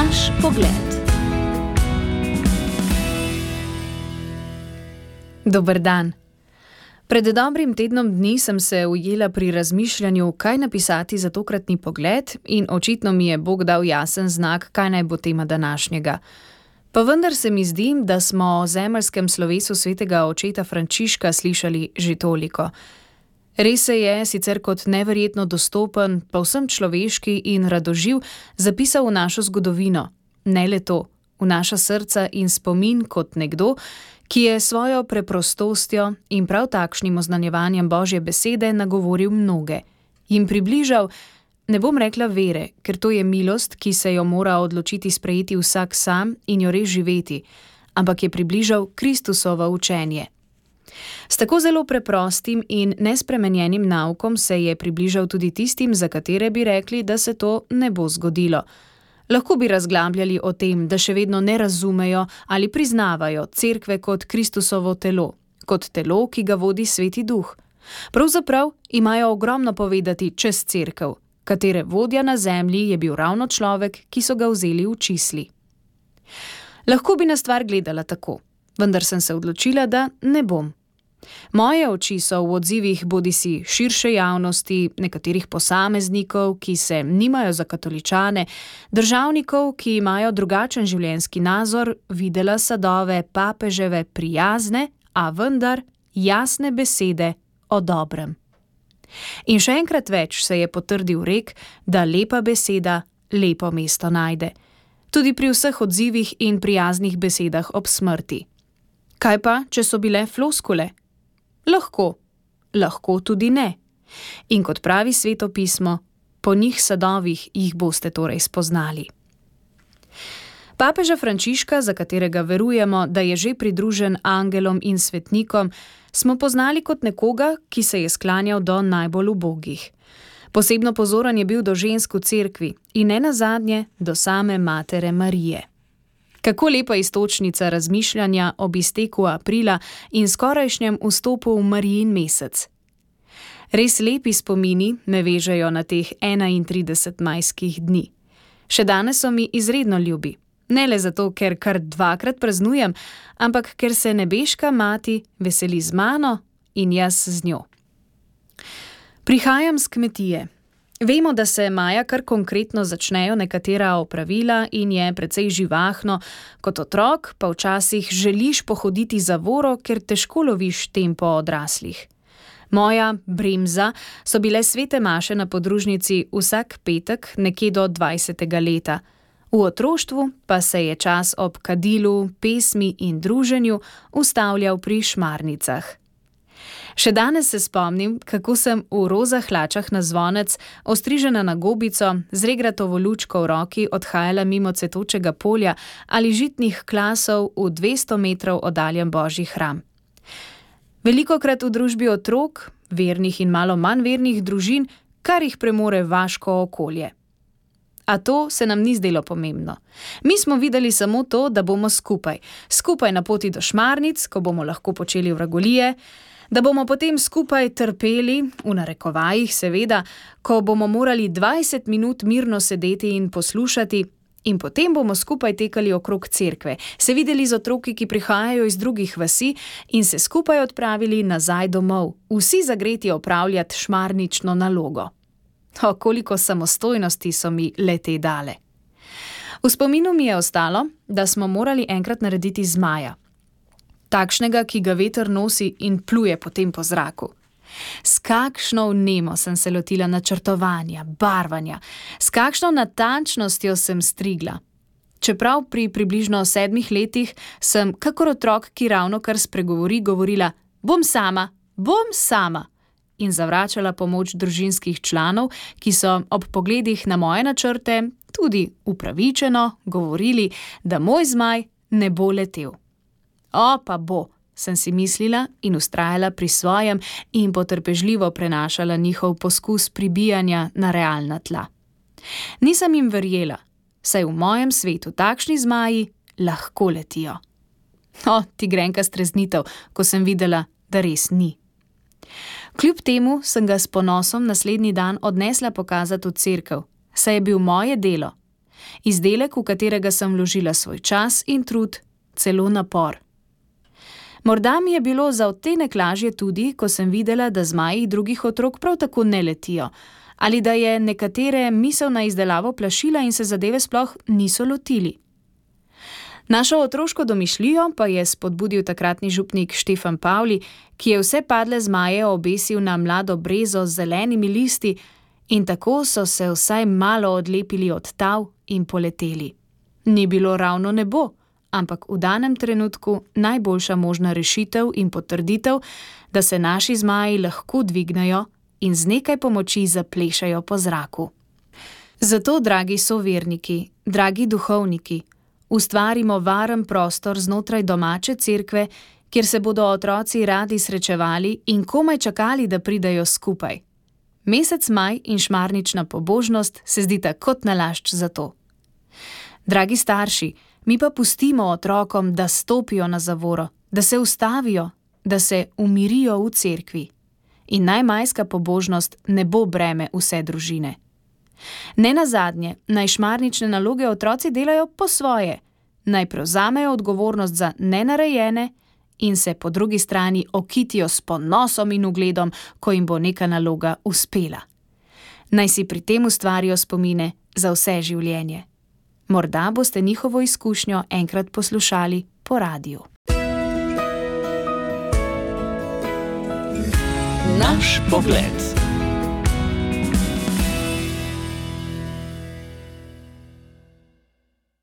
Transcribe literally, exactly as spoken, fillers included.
Naš pogled. Dober dan. Pred dobrim tednom dni sem se ujela pri razmišljanju, kaj napisati za tokratni pogled, in očitno mi je Bog dal jasen znak, kaj naj bo tema današnjega. Pa vendar se mi zdi, da smo o zemeljskem slovesu svetega očeta Frančiška slišali že toliko. Res se je, sicer kot neverjetno dostopen, povsem človeški in radoživ, zapisal v našo zgodovino. Ne le to, v naša srca in spomin kot nekdo, ki je svojo preprostostjo in prav takšnim oznanjevanjem Božje besede nagovoril mnoge. Jim približal, ne bom rekla vere, ker to je milost, ki se jo mora odločiti sprejeti vsak sam in jo res živeti, ampak je približal Kristusovo učenje. S tako zelo preprostim in nespremenjenim naukom se je približal tudi tistim, za katere bi rekli, da se to ne bo zgodilo. Lahko bi razglabljali o tem, da še vedno ne razumejo ali priznavajo cerkve kot Kristusovo telo, kot telo, ki ga vodi Sveti Duh. Pravzaprav imajo ogromno povedati čez cerkev, katere vodja na zemlji je bil ravno človek, ki so ga vzeli v čisli. Lahko bi na stvar gledala tako, vendar sem se odločila, da ne bom. Moje oči so v odzivih bodisi širše javnosti, nekaterih posameznikov, ki se nimajo za katoličane, državnikov, ki imajo drugačen življenjski nazor, videla sadove papeževe prijazne, a vendar jasne besede o dobrem. In še enkrat več se je potrdil rek, da lepa beseda lepo mesto najde. Tudi pri vseh odzivih in prijaznih besedah ob smrti. Kaj pa, če so bile floskule? Lahko, lahko tudi ne. In kot pravi Sveto pismo, po njih sadovih jih boste torej spoznali. Papeža Frančiška, za katerega verujemo, da je že pridružen angelom in svetnikom, smo poznali kot nekoga, ki se je sklanjal do najbolj ubogih. Posebno pozoren je bil do žensk v cerkvi in ne nazadnje do same matere Marije. Kako lepa iztočnica razmišljanja ob izteku aprila in skorajšnjem vstopu v Marijin mesec. Res lepi spomini me vežejo na teh enaintrideset majskih dni. Še danes so mi izredno ljubi. Ne le zato, ker kar dvakrat praznujem, ampak ker se nebeška mati veseli z mano in jaz z njo. Prihajam s kmetije. Vemo, da se maja kar konkretno začnejo nekatera opravila in je precej živahno. Kot otrok pa včasih želiš pohoditi za voro, ker težko loviš tempo odraslih. Moja bremza so bile svete maše na podružnici vsak petek nekje do dvajsetega leta. V otroštvu pa se je čas ob kadilu, pesmi in druženju ustavljal pri šmarnicah. Še danes se spomnim, kako sem v roza hlačah na zvonec, ostrižena na gobico, z regratovo lučko v roki odhajala mimo cvetočega polja ali žitnih klasov v dvesto metrov oddaljen Božji hram. Velikokrat v družbi otrok, vernih in malo manj vernih družin, kar jih premore vaško okolje. A to se nam ni zdelo pomembno. Mi smo videli samo to, da bomo skupaj. Skupaj na poti do šmarnic, ko bomo lahko počeli vragolije, da bomo potem skupaj trpeli, v narekovajih seveda, ko bomo morali dvajset minut mirno sedeti in poslušati, in potem bomo skupaj tekali okrog cerkve, se videli z otroki, ki prihajajo iz drugih vasi, in se skupaj odpravili nazaj domov, vsi zagreti opravljati šmarnično nalogo. O, koliko samostojnosti so mi le-te dale. V spominu mi je ostalo, da smo morali enkrat narediti zmaja. Takšnega, ki ga veter nosi in pluje potem po zraku. S kakšno vnemo sem se lotila načrtovanja, barvanja, s kakšno natančnostjo sem strigla. Čeprav pri približno sedmih letih sem, kakor otrok, ki ravno kar spregovori, govorila: bom sama, bom sama, in zavračala pomoč družinskih članov, ki so ob pogledih na moje načrte tudi upravičeno govorili, da moj zmaj ne bo letel. O, pa bo, sem si mislila in vztrajala pri svojem in potrpežljivo prenašala njihov poskus pribijanja na realna tla. Nisem jim verjela, saj v mojem svetu takšni zmaji lahko letijo. O, ti grenka streznitev, ko sem videla, da res ni. Kljub temu sem ga s ponosom naslednji dan odnesla pokazati v cerkev, saj je bil moje delo. Izdelek, v katerega sem vložila svoj čas in trud, celo napor. Morda mi je bilo za odtenek lažje tudi, ko sem videla, da zmaji drugih otrok prav tako ne letijo, ali da je nekatere misel na izdelavo plašila in se zadeve sploh niso lotili. Našo otroško domišljijo pa je spodbudil takratni župnik Štefan Pavli, ki je vse padle zmaje obesil na mlado brezo z zelenimi listi in tako so se vsaj malo odlepili od tav in poleteli. Ni bilo ravno nebo, ampak v danem trenutku najboljša možna rešitev in potrditev, da se naši zmaji lahko dvignejo in z nekaj pomoči zaplešajo po zraku. Zato, dragi soverniki, dragi duhovniki, ustvarimo varen prostor znotraj domače cerkve, kjer se bodo otroci radi srečevali in komaj čakali, da pridejo skupaj. Mesec maj in šmarnična pobožnost se zdita kot nalašč za to. Dragi starši, mi pa pustimo otrokom, da stopijo na zavoro, da se ustavijo, da se umirijo v cerkvi. In naj majska pobožnost ne bo breme vse družine. Ne nazadnje, naj šmarnične naloge otroci delajo po svoje, naj prevzamejo odgovornost za nenarejene in se po drugi strani okitijo s ponosom in ugledom, ko jim bo neka naloga uspela. Naj si pri tem ustvarijo spomine za vse življenje. Morda boste njihovo izkušnjo enkrat poslušali po radiju. Naš pogled.